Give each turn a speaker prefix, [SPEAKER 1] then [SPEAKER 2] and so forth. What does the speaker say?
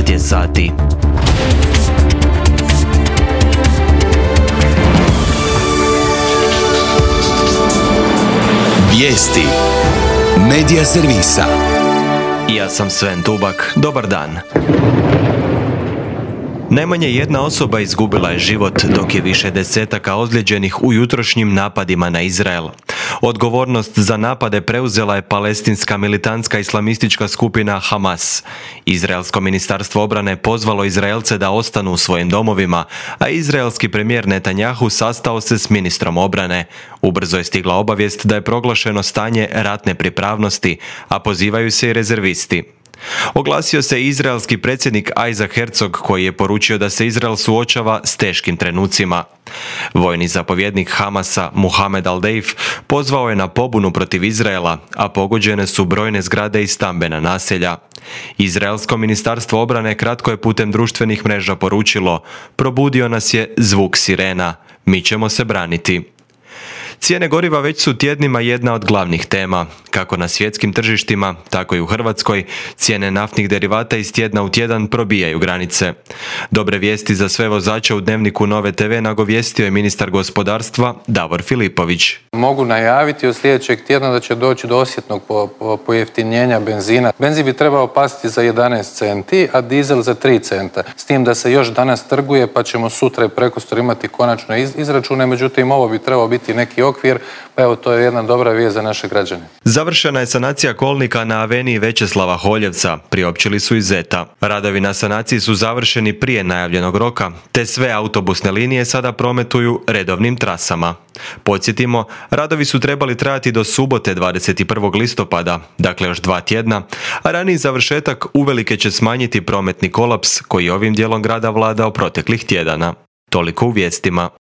[SPEAKER 1] je sati.
[SPEAKER 2] Vijesti Medija servisa.
[SPEAKER 1] Ja sam Sven Tubak, dobar dan. Najmanje jedna osoba izgubila je život, dok je više desetaka ozlijeđenih u jutrošnjim napadima na Izrael. Odgovornost za napade preuzela je palestinska militantska islamistička skupina Hamas. Izraelsko ministarstvo obrane pozvalo Izraelce da ostanu u svojim domovima, a izraelski premijer Netanjahu sastao se s ministrom obrane. Ubrzo je stigla obavijest da je proglašeno stanje ratne pripravnosti, a pozivaju se i rezervisti. Oglasio se izraelski predsjednik Isaac Herzog, koji je poručio da se Izrael suočava s teškim trenucima. Vojni zapovjednik Hamasa Mohamed Al-Deif pozvao je na pobunu protiv Izraela, a pogođene su brojne zgrade i stambena naselja. Izraelsko ministarstvo obrane kratko je putem društvenih mreža poručilo: probudio nas je zvuk sirena, mi ćemo se braniti. Cijene goriva već su tjednima jedna od glavnih tema. Kako na svjetskim tržištima, tako i u Hrvatskoj, cijene naftnih derivata iz tjedna u tjedan probijaju granice. Dobre vijesti za sve vozače u Dnevniku Nove TV nagovijestio je ministar gospodarstva Davor Filipović.
[SPEAKER 3] Mogu najaviti od sljedećeg tjedna da će doći do osjetnog pojeftinjenja benzina. Benzin bi trebao pasti za 11 centi, a dizel za 3 centa. S tim da se još danas trguje, pa ćemo sutra i prekosutra imati konačno izračune, međutim ovo bi trebao biti neki okvir, pa evo to je jedna dobra vijest za naše građane.
[SPEAKER 1] Završena je sanacija kolnika na aveniji Većeslava Holjevca, priopćili su iz Zeta. Radovi na sanaciji su završeni prije najavljenog roka, te sve autobusne linije sada prometuju redovnim trasama. Podsjetimo, radovi su trebali trajati do subote 21. listopada, dakle još 2 tjedna, a raniji završetak uvelike će smanjiti prometni kolaps koji ovim dijelom grada vladao proteklih tjedana. Toliko u vijestima.